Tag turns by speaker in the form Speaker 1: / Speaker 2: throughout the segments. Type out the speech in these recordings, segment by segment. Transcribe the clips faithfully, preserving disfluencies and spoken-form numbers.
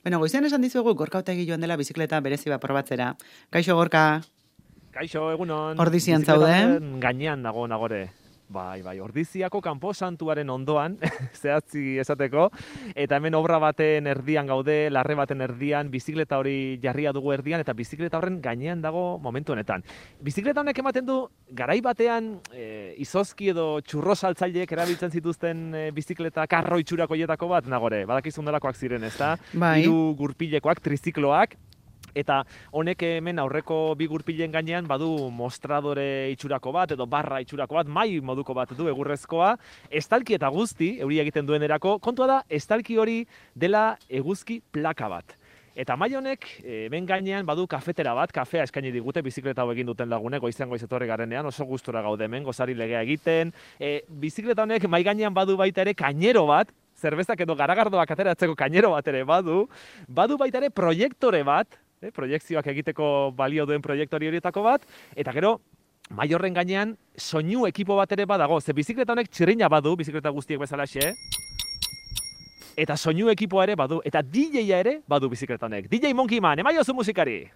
Speaker 1: Beno, goizean esan dizuegu Gorka Otegi joan dela bizikleta berezi bat probatzera. Kaixo, Gorka.
Speaker 2: Kaixo, egunon.
Speaker 1: Ordizian zaude.
Speaker 2: Gainean dago nagore. Bai, bai, Ordiziako kanposantuaren ondoan, zehatzi esateko, eta hemen obra baten erdian gaude, larre baten erdian, bizikleta hori jarria dugu erdian, eta bizikleta horren gainean dago momentu honetan. Bizikleta honek ematen du, garai batean, e, izozki edo txurro saltzaileek erabiltzen zituzten e, bizikleta karro itxurako hietako bat, nagore, badakizun delakoak ziren, ezta?
Speaker 1: Bai.
Speaker 2: Hiru gurpilekoak, trizikloak, eta honek hemen aurreko bi gurpilen gainean badu mostradore itxurako bat edo barra itxurako bat, mai moduko bat du egurrezkoa, estalki eta guzti, euri egiten duenerako, kontua da, estalki hori dela eguzki plaka bat. Eta mai honek hemen gainean badu kafetera bat, kafea eskaini digute bizikleta hau egin duten lagunek, goizean goiz etorri garenean, oso gustora gaude hemen, gozari legea egiten. E, bizikleta honek mai gainean badu baita ere kainero bat, zerbezak edo garagardoak ateratzeko kainero bat ere badu, badu baita ere proiektore bat, Eh, proiekzioak egiteko balio duen proiektori horietako bat, eta gero, mai horren gainean, soinu ekipo bat ere badago. Ze bizikleta honek txirrina badu, bizikleta guztiek bezalaxe, eta soinu ekipoa ere badu, eta D J-a ere badu bizikleta honek. D J Monkey Man, emaiozu musikari!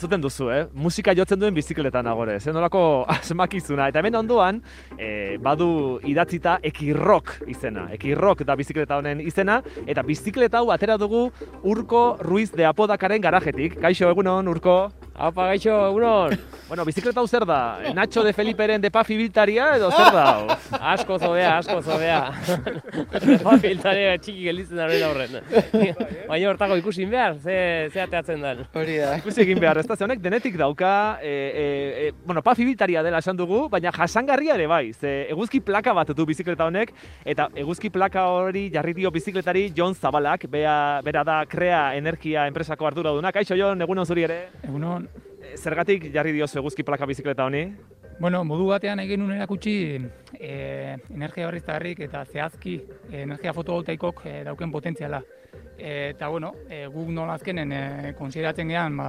Speaker 2: Entzuten duzu, eh? Musika jotzen duen bizikleta nagore, zen nolako asmakizuna. Eta hemen ondoan, eh, badu idatzita Ekirrok izena. Ekirrok da bizikleta honen izena, eta bizikleta hau atera dugu Urko Ruiz de Apodakaren garajetik. Kaixo, egunon, Urko?
Speaker 3: Apa, gaixo, egunon!
Speaker 2: Bueno, bizikleta hau zer da? Nacho de Feliperen de Pafi biltaria edo zer da hau?
Speaker 3: Asko zobea, asko zobea. De Pafi biltaria txiki gelitzen da horren aurren. Baina hortako ikusin behar, ze, ze ateatzen den.
Speaker 1: Hori da.
Speaker 2: Ikusi egin behar, ez da, ze honek denetik dauka, e, e, e, bueno, Pafi biltaria dela esan dugu, baina jasangarria ere bai, ze eguzki plaka bat du bizikleta honek, eta eguzki plaka hori jarri dio bizikletari Jon Zabalak, bea, bera da Krea Energia enpresako arduraduna. Kaixo, Jon, egunon zuri ere?
Speaker 4: Egunon.
Speaker 2: Zergatik jarri diozu eguzki plaka bizikleta honi?
Speaker 4: Bueno, modu batean egin nuen erakutsi e, energia berriztagarrik eta zehazki e, energia fotovoltaikok e, dauken potentziala. E, eta bueno, e, guk nola azkenen e, konsideratzen gehan, ba,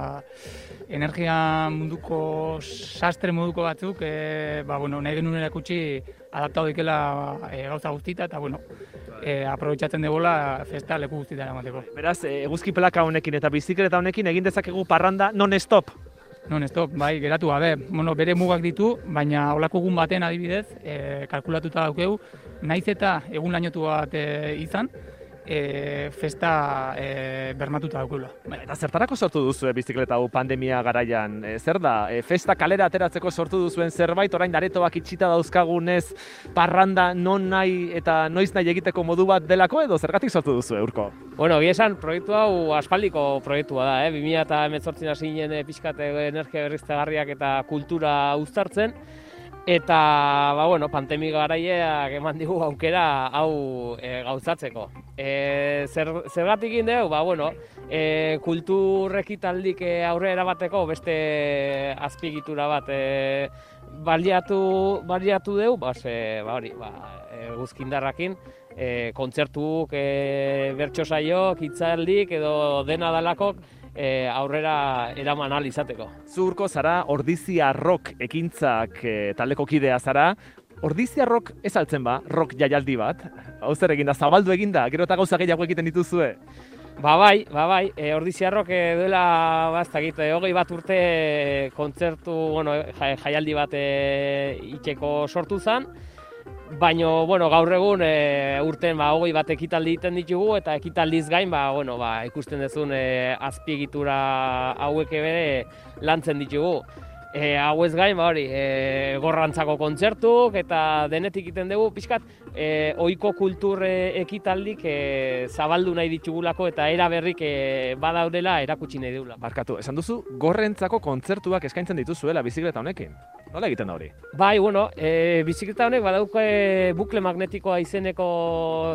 Speaker 4: energia munduko sastre moduko batzuk, e, ba, bueno, nahi genuen erakutsi adaptatu dikela e, gauza guztita, eta bueno, e, aprobetxatzen debola festa leku guztitara emateko.
Speaker 2: Beraz, eguzki plaka honekin eta bizikleta honekin egin dezakegu parranda non-stop.
Speaker 4: Non-stop, bai, geratu gabe. Bueno, bere mugak ditu, baina holako egun baten adibidez, e, kalkulatuta daukegu, naiz eta egun lainotu bat e, izan, e, festa e, bermatuta daukula. Bai.
Speaker 2: Eta zertarako sortu duzu e, bizikleta hau pandemia garaian? E, zer da? E, festa kalera ateratzeko sortu duzuen zerbait, orain aretoak itxita dauzkagunez parranda non nahi eta noiz nahi egiteko modu bat delako edo zergatik sortu duzu, Urko?
Speaker 3: Bueno, egia esan, proiektu hau aspaldiko proiektua da, eh? bi mila hemezortzian hasi ginen e, pixkat energia berriztagarriak eta kultura uztartzen. Eta, ba, bueno, pandemia garaiak eman digu aukera hau e, gauzatzeko. E, zer, zergatik egin dugu, ba, bueno, e, kultur ekitaldik e, aurrera erabateko beste azpiegitura bat e, baliatu, baliatu dugu, ba, ze, ba, hori, ba, eguzkindarrakin, e, kontzertuk, e, bertso saiok, hitzaldik edo dena dalakok, E, aurrera eraman ahal izateko.
Speaker 2: Zurko zara Ordizia Rock ekintzak e, taldeko kidea zara. Ordizia Rock ez altzen ba, rock jaialdi bat. Hau zer eginda, zabaldu eginda, gero eta gauza gehiago egiten dituzue.
Speaker 3: Ba bai, ba bai, e, Ordizia Rock e, duela, baztakit, e, hogei bat urte kontzertu, bueno, jaialdi bat e, itxeko sortu zen. Baina, bueno, gaur egun e, urten ba, hogei bat ekitaldi egiten ditugu eta ekitaldiz gain ba, bueno, ba, ikusten duzun e, azpiegitura hauek ere lantzen ditugu. E, hau ez gain, ba, hori, e, gorrantzako kontzertuk eta denetik egiten dugu, pixkat, e, ohiko kultur e, ekitaldik e, zabaldu nahi ditugulako eta era berrik e, badaudela erakutsi nahi dugula.
Speaker 2: Barkatu, esan duzu, gorrentzako kontzertuak eskaintzen dituzuela bizikleta honekin. Nola egiten da hori?
Speaker 3: Bai, bueno, e, bizikleta honek badauke bukle magnetikoa izeneko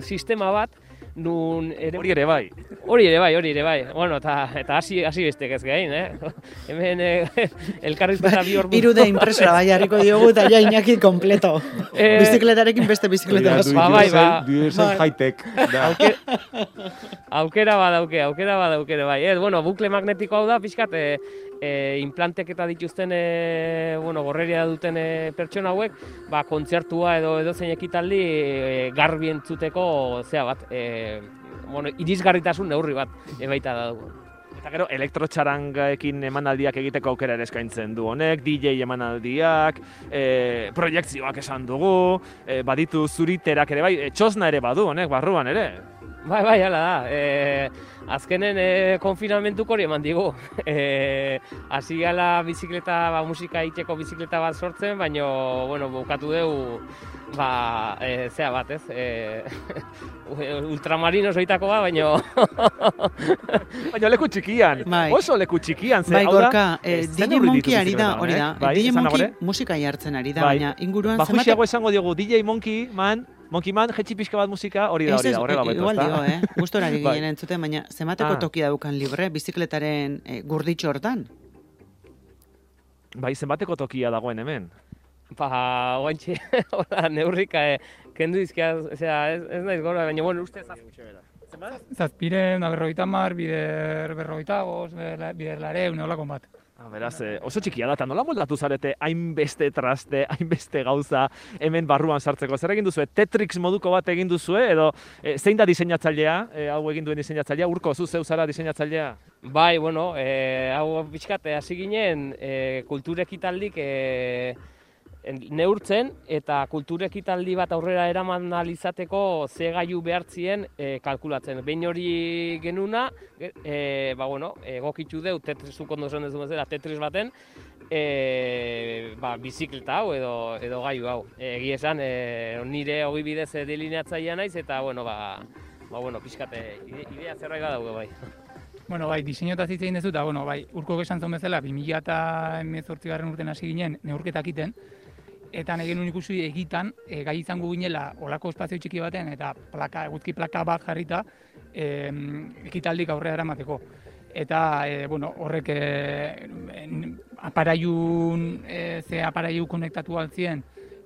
Speaker 3: sistema bat, nun ere...
Speaker 2: Hori ere bai.
Speaker 3: Hori ere bai, hori ere bai. Bueno, eta eta hasi hasi bestek ez gain, eh? Hemen eh, elkarrizketa bi ordu.
Speaker 1: Hiru D impresora bai harriko diogu eta ja Iñaki kompleto.
Speaker 3: Eh,
Speaker 1: Bizikletarekin beste bizikleta bat.
Speaker 3: Ba, bai, ba.
Speaker 5: Duesen high-tech.
Speaker 3: Aukera badauke, aukera badauke bai. Eh, bueno, bukle magnetiko hau da, pixkat, eh, e, implanteketa dituzten, e, bueno, gorreria duten e, pertsona hauek, ba, kontzertua edo edozein ekitaldi e, garbi entzuteko zea bat, e, bueno, irisgarritasun neurri bat e, baita da dugu.
Speaker 2: Eta gero, elektrotxarangaekin emanaldiak egiteko aukera ere eskaintzen du honek, D J emanaldiak, e, proiektzioak esan dugu, e, baditu zuriterak ere bai, e, txosna ere badu honek, barruan ere.
Speaker 3: Bai, bai, hala da. E, azkenen e, konfinamentuko hori eman digu. E, hasi gala bizikleta, ba, musika egiteko bizikleta bat sortzen, baina, bueno, bukatu dugu, ba, e, zea bat, ez? E, ultramarino zoitako ba, baina...
Speaker 2: baina leku txikian,
Speaker 1: bai.
Speaker 2: Oso leku txikian. Ze,
Speaker 1: bai, gorka,
Speaker 2: e,
Speaker 1: D J Monkey ari da, hori da.
Speaker 2: Bai,
Speaker 1: D J Monkey musika jartzen ari da,
Speaker 2: bai.
Speaker 1: baina inguruan
Speaker 2: ba, juxiago esango diogu, D J Monkey man, Monkey man, jetxi pixka bat musika, hori da, hori da, horrela beto.
Speaker 1: Igual dio, eh? Gustorari
Speaker 2: bai.
Speaker 1: ginen entzuten, baina zemateko
Speaker 2: ah.
Speaker 1: tokia daukan libre, bizikletaren e, gurditxo hortan?
Speaker 2: Bai, zenbateko tokia dagoen hemen?
Speaker 3: Ba, oantxe, hola, neurrika, eh, kendu izkia, osea, ez, ez naiz gora, baina, bueno, uste zazpitxe bera.
Speaker 4: Zazpiren, da berrogeita mar, bider berrogeita goz, bider lareun, eolako bat.
Speaker 2: Ah, beraz, eh, oso txikia da, eta nola moldatu zarete hainbeste traste, hainbeste gauza hemen barruan sartzeko? Zer egin duzue? Tetrix moduko bat egin duzue, edo eh, zein da diseinatzailea, eh, hau egin duen diseinatzailea, Urko, zu zeu zara diseinatzailea?
Speaker 3: Bai, bueno, eh, hau pixkat, hasi ginen, eh, kulturekitaldik eh, neurtzen eta kulturekitaldi bat aurrera eraman alizateko ze gailu behartzien e, kalkulatzen. Behin hori genuna, e, ba, bueno, egokitzu deu, tetrisuk ondo zen dezu bezala, tetris baten, e, ba, bizikleta hau edo, edo gailu hau. Egi esan, e, nire hogi bidez delineatzailea naiz eta, bueno, ba, ba, bueno, pixkate, idea zerbait badaude bai.
Speaker 4: Bueno, bai, diseinotaz hitz egin dezu, eta, bueno, bai, Urko esan zuen bezala, bi mila hemezortzigarren urten hasi ginen neurketak iten, eta nahi genuen ikusi egitan, e, gai izango ginela olako espazio txiki baten, eta plaka, eguzki plaka bat jarrita, e, ekitaldik aurrera eramateko. Eta, e, bueno, horrek e, aparaiun, e, ze aparaiu konektatu altzien,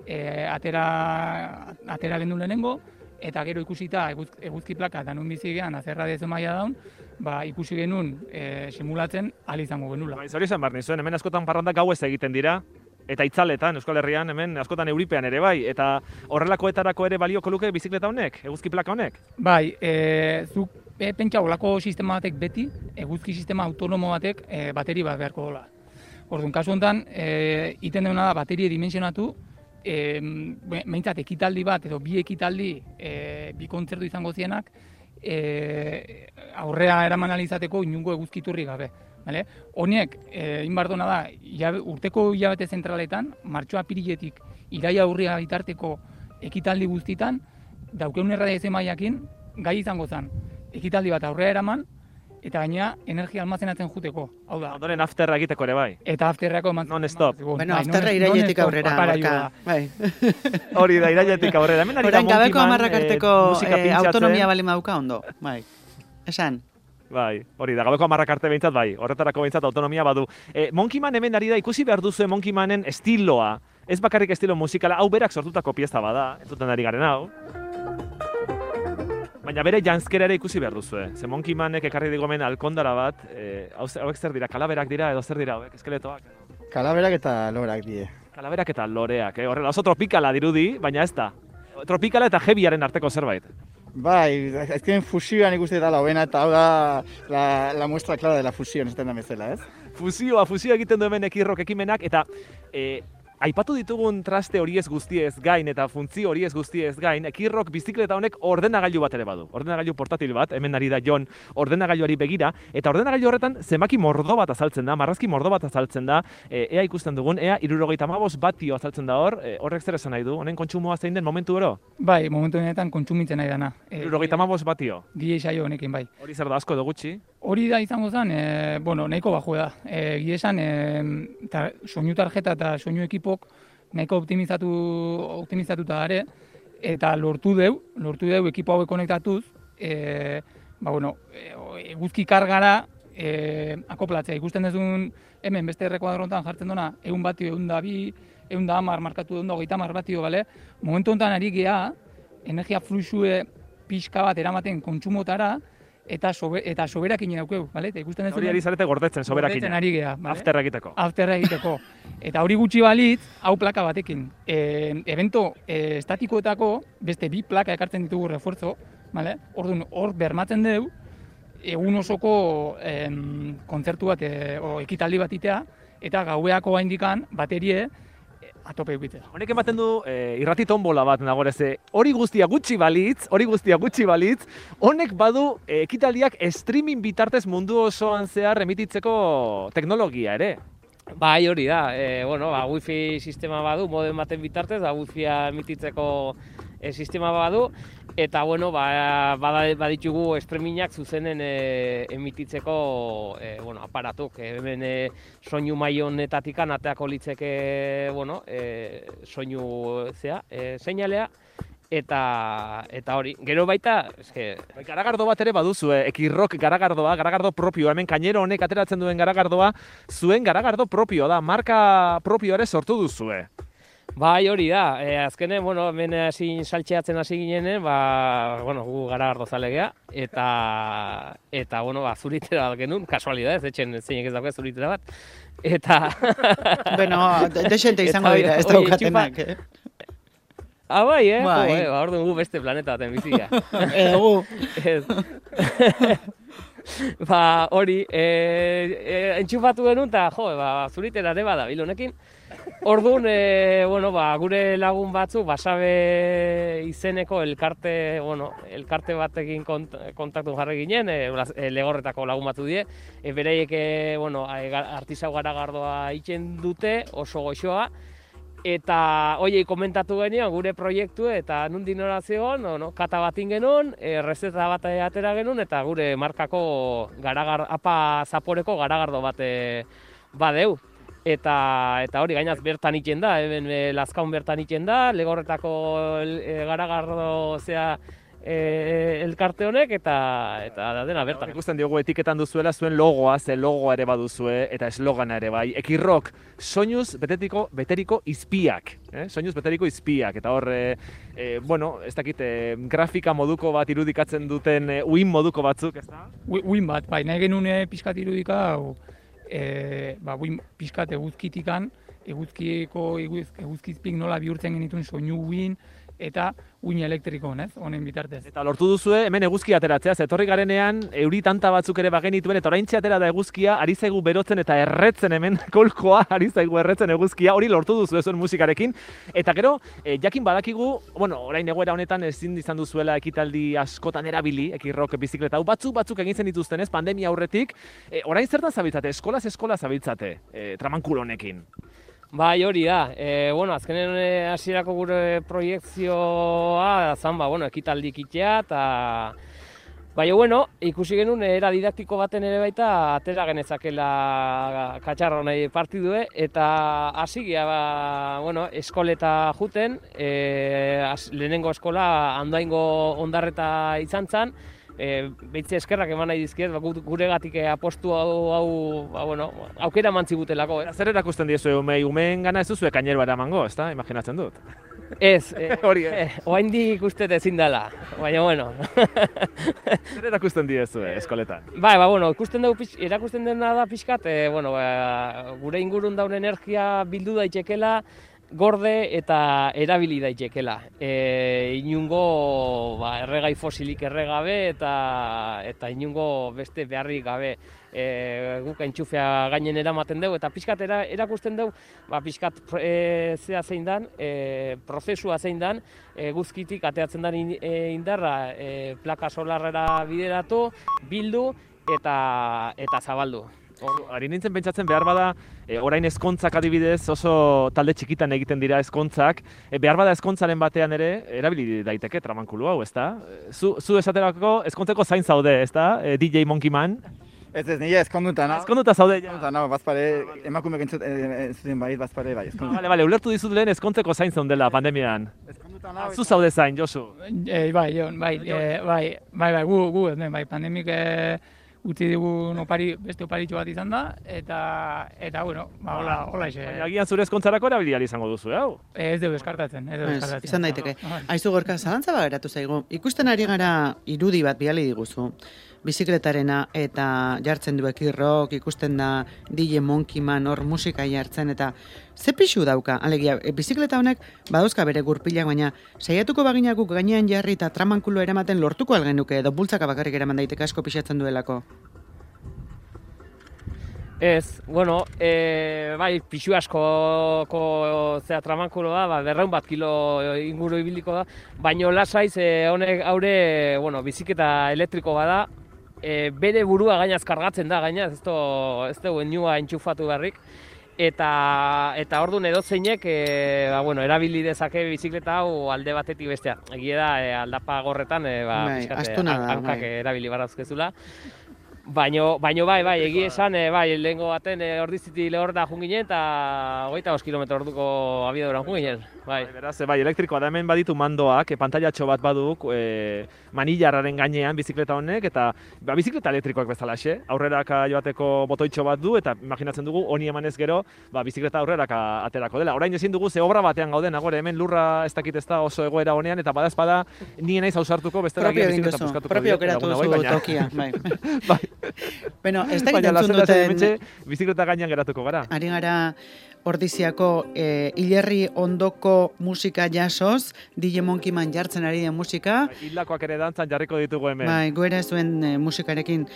Speaker 4: e, atera, atera gendu lehenengo, eta gero ikusita eguz, eguzki plaka eta nun bizi gehan azerra dezu maila daun, ba, ikusi genuen e, simulatzen ahal izango genula.
Speaker 2: Ba, hori izan behar nizuen, hemen askotan parrandak gauez egiten dira, eta itzaletan, Euskal Herrian, hemen askotan euripean ere bai, eta horrelakoetarako ere balioko luke bizikleta honek, eguzki plaka honek?
Speaker 4: Bai, e, zuk e, pentsa olako sistema batek beti, eguzki sistema autonomo batek e, bateri bat beharko dola. Orduan, kasu honetan, e, iten deuna da baterie dimensionatu, e, behintzat ekitaldi bat edo bi ekitaldi, e, bi kontzertu izango zienak, e, aurrea eraman alizateko inungo eguzkiturri gabe. Vale? Honiek, e, inbardona da, ilabe, urteko hilabete zentraletan, martxoa apiriletik iraia aurria bitarteko ekitaldi guztitan, daukeun erradiazio mailakin gai izango zen ekitaldi bat aurrera eraman, eta gainera energia almazenatzen juteko. Hau da.
Speaker 2: Ondoren afterra egiteko ere bai.
Speaker 4: Eta afterrako eman.
Speaker 2: Non stop.
Speaker 1: Bueno, afterra irailetik aurrera. Bai.
Speaker 2: Hori da, irailetik aurrera. Hemen ari da
Speaker 1: Monkey Man. Gabeko amarrak arteko
Speaker 2: eh,
Speaker 1: autonomia balin dauka ondo. Bai. Esan.
Speaker 2: Bai, hori da, gabeko hamarrak arte behintzat bai, horretarako behintzat autonomia badu. E, Monkey Man hemen ari da, ikusi behar duzu Monkey Manen estiloa, ez bakarrik estilo musikala, hau berak sortutako pieza bada, entzuten ari garen hau. Baina bere janzkera ere ikusi behar duzu, ze Monkey Manek ekarri digu hemen alkondara bat, e, hauek zer dira, kalaberak dira edo zer dira hauek, eskeletoak?
Speaker 5: Kalaberak eta loreak die.
Speaker 2: Kalaberak eta loreak, eh? Horrela oso tropikala dirudi, baina ez da. Tropikala eta heavyaren arteko zerbait.
Speaker 5: Bai, azken fusioan ikuste dela hobena eta hau da la, la muestra clara de la fusión, ez da bezala, ez?
Speaker 2: Fusioa, fusioa egiten du hemen ekirrok ekimenak, eta e, aipatu ditugun traste horiez guztiez gain eta funtzio horiez guztiez gain, ekirrok bizikleta honek ordenagailu bat ere badu. Ordenagailu portatil bat, hemen ari da Jon ordenagailuari begira, eta ordenagailu horretan zenbaki mordo bat azaltzen da, marrazki mordo bat azaltzen da, e, ea ikusten dugun, ea hirurogeita hamabost batio azaltzen da hor, e, horrek zer esan nahi du, honen kontsumoa zein den momentu oro?
Speaker 4: Bai, momentu honetan kontsumitzen nahi dana. E,
Speaker 2: hirurogeita hamabost batio?
Speaker 4: Gie saio honekin, bai.
Speaker 2: Hori zer da asko edo gutxi?
Speaker 4: Hori da izango zen, e, bueno, nahiko bajue da. E, gie esan, e, ta, soinu tarjeta eta soinu ekipok nahiko optimizatu, optimizatuta dare, eta lortu deu, lortu deu ekipo hauek konektatuz, e, ba, bueno, eguzki kargara e, akoplatzea. Ikusten duzun hemen beste errekuadrontan jartzen duna, egun batio, egun da bi, egun da amar, markatu egun da hogeita amar batio, bale? Momentu honetan ari gea, energia fluxue pixka bat eramaten kontsumotara, eta sobe, eta soberakin daukeu, bale? Eta ikusten ez
Speaker 2: Hori ari zarete gordetzen, soberakin.
Speaker 4: gordetzen ari gea, bale?
Speaker 2: Afterra egiteko.
Speaker 4: Afterra egiteko. Eta hori gutxi balitz, hau plaka batekin. E, evento e, estatikoetako beste bi plaka ekartzen ditugu refuerzo, bale? Orduan, hor bermatzen dugu, egun osoko em, kontzertu bat, e, o, ekitaldi bat itea, eta gaueako gaindikan baterie atope egitea.
Speaker 2: Honek ematen du e, irrati tombola bat nagoreze. Hori guztia gutxi balitz, hori guztia gutxi balitz, honek badu e, ekitaldiak streaming bitartez mundu osoan zehar emititzeko teknologia ere.
Speaker 3: Bai, hori da. E, bueno, ba, wifi sistema badu, modem baten bitartez, ba, wifia emititzeko e, sistema badu, eta bueno, ba, baditugu streamingak zuzenen e, emititzeko e, bueno, aparatuk. E, hemen e, soinu maionetatikan ateako litzeke, bueno, e, soinu zea, e, seinalea, eta eta hori. Gero baita, eske
Speaker 2: garagardo bat ere baduzue, Ekirrock garagardoa, garagardo propioa, hemen Kainero honek ateratzen duen garagardoa, zuen garagardo propioa da, marka propioa ere sortu duzue.
Speaker 3: Bai, hori da. E, azkenen, bueno, hemen hasi saltxeatzen hasi ginenen, ba, bueno, gu garagardo zalegea, eta, eta, bueno, ba, zuritera bat genuen, kasualidad, ez etxen zeinek ez dauke zuritera bat, eta...
Speaker 1: Bueno, desente izango dira, ez daukatenak, eh?
Speaker 3: Ah, bai, eh?
Speaker 1: Bai.
Speaker 3: Jo, eh? Ba, orduan gu beste planeta baten bizia.
Speaker 1: Egu.
Speaker 3: Ba, hori, e, e, entxufatu genuen, eta, jo, ba, zuritera ere bada, bilonekin. Orduan, e, bueno, ba, gure lagun batzu, Basabe izeneko elkarte, bueno, elkarte batekin kont, kontaktu jarri ginen, e, Legorretako lagun batzu die, e, bereiek, e, bueno, artisau garagardoa itzen dute, oso goxoa, eta hoiei komentatu genion gure proiektu eta nundi nora zegoen, no, kata batin genuen, e, rezeta bat atera genuen, eta gure markako garagar, apa zaporeko garagardo bat e, badeu. Eta, eta hori gainaz bertan iten da, hemen e, Lazkaun bertan iten da, Legorretako e, garagardo zea e, elkarte honek, eta, eta da dena bertan.
Speaker 2: Ikusten diogu etiketan duzuela zuen logoa, ze logoa ere baduzue, eta eslogana ere bai. Ekirrock, soinuz betetiko, beteriko izpiak. Eh? Soinuz beteriko izpiak. Eta hor, e, e, bueno, ez dakit, e, grafika moduko bat irudikatzen duten e, uin moduko batzuk, ez da?
Speaker 4: Uin bat, bai, nahi genuen e, pixkat irudika, hau, E, ba, buin pixkat eguzkitikan, eguzkiko eguz, eguzkizpik nola bihurtzen genituen soinu uin eta uin elektriko, ez, honen bitartez.
Speaker 2: Eta lortu duzue, hemen eguzkia ateratzea, zetorri garenean, euri tanta batzuk ere bagenituen, eta oraintxe atera da eguzkia, ari zaigu berotzen eta erretzen hemen kolkoa, ari zaigu erretzen eguzkia, hori lortu duzue zuen musikarekin. Eta gero, e, jakin badakigu, bueno, orain egoera honetan ezin izan duzuela ekitaldi askotan erabili, Ekirrock bizikleta hau, batzuk batzuk egin zen dituzten ez, pandemia aurretik, e, orain zertan zabiltzate, eskolaz eskola zabiltzate, e, tramankulo honekin?
Speaker 3: Bai, hori da. E, bueno, azkenen hasierako gure proiektzioa zan, ba, bueno, ekitaldi ikitea, eta baina, bueno, ikusi genuen era didaktiko baten ere baita atera genezakela katxarro nahi partidue, eta hasi gea, ba, bueno, eskoleta juten, e, az, lehenengo eskola Andoaingo Ondarreta izan zen, E, Beitze eskerrak eman nahi dizkiet, ba, guregatik apostu hau, hau ba, bueno, aukera mantzigutelako. Eh?
Speaker 2: Zer erakusten diezu umei, umeen gana ez duzu Kainero eramango, ez da? Imaginatzen dut.
Speaker 3: Ez, e,
Speaker 2: hori
Speaker 3: eh, oaindik uste ezin dela, baina bueno.
Speaker 2: Zer erakusten diezu eskoletan?
Speaker 3: Bai, ba, bueno, ikusten dugu, erakusten dena da pixkat, e, bueno, ba, gure ingurun daun energia bildu daitekela, gorde eta erabili daitekela. E, inungo ba, erregai fosilik erregabe eta eta inungo beste beharrik gabe. E, guk entxufea gainen eramaten dugu eta pixkat era, erakusten dugu ba, pixkat e, zea zein dan, e, prozesua zein dan, e, guzkitik ateatzen den in, e, indarra e, plaka solarrera bideratu, bildu eta, eta zabaldu.
Speaker 2: Ari nintzen pentsatzen behar bada, e, orain ezkontzak adibidez oso talde txikitan egiten dira ezkontzak, e, behar bada ezkontzaren batean ere, erabili daiteke tramankulu hau, ez da? Zu, zu esaterako ezkontzeko zain zaude, ez da? E, D J Monkey Man?
Speaker 5: Ez ez, nire ezkonduta, no?
Speaker 2: Ezkonduta zaude, ja.
Speaker 5: Ezkonduta, no, bazpare, emakumek entzuten bait, bazpare, bai, ezkonduta.
Speaker 2: Bale, bale, ulertu dizut lehen ezkontzeko zain zaundela pandemian.
Speaker 5: Ezkonduta, no?
Speaker 2: Zu zaude zain, Josu?
Speaker 4: E, bai, Jon, bai, e, bai, bai, bai, gu, gu, bai, pandemik e, utzi dugu opari, beste oparitxo bat izan da, eta, eta bueno, ba, hola, hola ise.
Speaker 2: Baina agian zure ezkontzarako erabili ahal izango duzu, hau?
Speaker 4: Ez dugu deskartatzen, ez dugu deskartatzen.
Speaker 1: Izan daiteke. Aizu Gorka, zalantza bat geratu zaigu. Ikusten ari gara irudi bat bidali diguzu. bizikletarena eta jartzen du ekirrok, ikusten da D J Monkey Man hor musika jartzen eta ze pixu dauka, alegia, e, bizikleta honek badauzka bere gurpilak, baina saiatuko baginakuk gainean jarri eta tramankulo eramaten lortuko algenuke, edo bultzaka bakarrik eraman daiteke asko pixatzen duelako.
Speaker 3: Ez, bueno, e, bai, pixu askoko zera tramankuloa, ba, berreun bat kilo inguru ibiliko da, baino lasaiz e, honek haure, bueno, biziketa elektriko bada, e, bere burua gainaz kargatzen da, gainaz, ez du, ez du enua entxufatu beharrik, eta eta ordun edozeinek e, ba, bueno, erabili dezake bizikleta hau alde batetik bestea. Egia da, e, aldapa gorretan, e, ba,
Speaker 1: Bai,
Speaker 3: pixkat,
Speaker 1: astuna da,
Speaker 3: hankak
Speaker 1: bai.
Speaker 3: erabili barazkezula. Baino, baino bai, bai, egia esan, e, bai, lehengo baten e, ordiziti lehorda junginen eta hogeita bost kilometro orduko abiaduran junginen, bai.
Speaker 2: Bai, beraz, bai, elektrikoa da hemen baditu mandoak, e, pantailatxo bat baduk, e, manillarraren gainean bizikleta honek, eta ba, bizikleta elektrikoak bezalaxe, aurreraka joateko botoitxo bat du, eta imaginatzen dugu, honi emanez gero, ba, bizikleta aurreraka aterako dela. Orain ezin dugu, ze obra batean gauden, agore, hemen lurra ez dakit ez da oso egoera honean, eta badazpada nien naiz ausartuko, bestela
Speaker 1: Propio
Speaker 2: agian
Speaker 1: egin
Speaker 2: bizikleta
Speaker 1: duzu,
Speaker 2: puskatuko
Speaker 1: propio
Speaker 2: diot,
Speaker 1: geratu
Speaker 2: laguna
Speaker 1: duzu
Speaker 2: hauei, baina-
Speaker 1: tokia, bai.
Speaker 2: Bai.
Speaker 1: Bueno, ez da
Speaker 2: Baina
Speaker 1: entzun
Speaker 2: lasai-lasai
Speaker 1: duten,
Speaker 2: hementxe bizikleta gainean geratuko gara.
Speaker 1: ari gara Ordiziako e, hilerri ondoko musika jasoz, D J Monkey Man jartzen ari den musika,
Speaker 2: Hildakoak ere dantzan jarriko ditugu hemen.
Speaker 1: bai, goera zuen e, musikarekin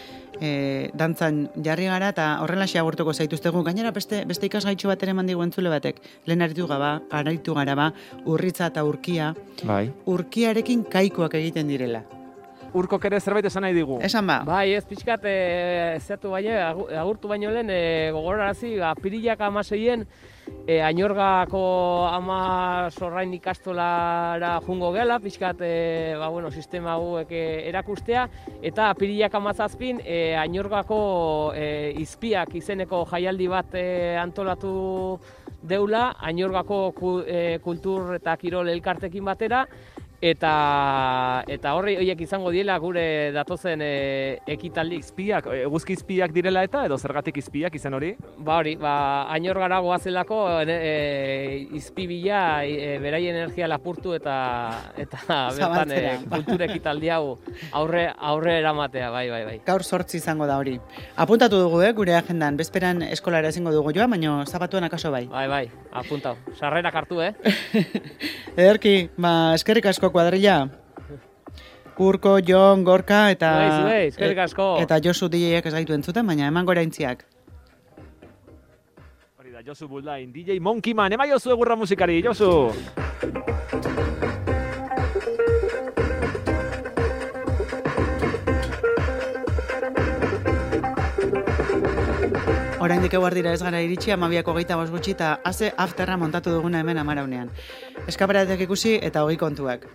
Speaker 1: e, dantzan jarri gara eta horrelaxe agurtuko zaituztegu. Gainera beste beste ikasgaitxo bat ere eman digu entzule batek. Lehen aritu gaba, aritu gara ba, urritza eta urkia.
Speaker 2: Bai.
Speaker 1: Urkiarekin kaikoak egiten direla.
Speaker 2: Urkok ere zerbait esan nahi digu.
Speaker 1: Esan ba,
Speaker 3: Bai, ez pixkat, e, zeatu baina, agu- agurtu baino lehen, e, gogorarazi, apirilak amaseien, e, Ainorgako ama sorrain ikastolara jungo gela, pixkat, e, ba, bueno, sistema hauek e, erakustea, eta apirilak amazazpin, e, Ainorgako e, izpiak izeneko jaialdi bat e, antolatu deula, Ainorgako ku, e, kultur eta kirol elkartekin batera, eta eta horri horiek izango diela gure datozen e, ekitaldi.
Speaker 2: Izpiak, eguzki izpiak direla eta edo zergatik izpiak izen hori?
Speaker 3: Ba hori, ba, Ainorgara goazelako e, e, izpi bila e, beraien energia lapurtu eta eta bertan e,
Speaker 1: Zabaltzera.
Speaker 3: kultura ekitaldi hau aurre aurre eramatea, bai, bai, bai.
Speaker 1: gaur sortzi izango da hori. Apuntatu dugu, eh, gure agendan. Bezperan eskolara ezingo dugu joa, baina zapatuan akaso bai.
Speaker 3: Bai, bai, apuntau. Sarrerak hartu, eh?
Speaker 1: Ederki, ba, eskerrik asko kuadrilla. Urko, Jon, Gorka eta
Speaker 3: Zuei, zuei, eskerrik asko.
Speaker 1: eta Josu D J-ek ez gaitu entzuten, baina eman gora intziak.
Speaker 2: Hori da, Josu Buldain, D J Monkey Man, ema Josu egurra musikari, Josu!
Speaker 1: Oraindik eguer dira ez gara iritsi, amabiako geita bost gutxi eta haze afterra montatu duguna hemen amaraunean. Eskaparatek ikusi eta hogei kontuak.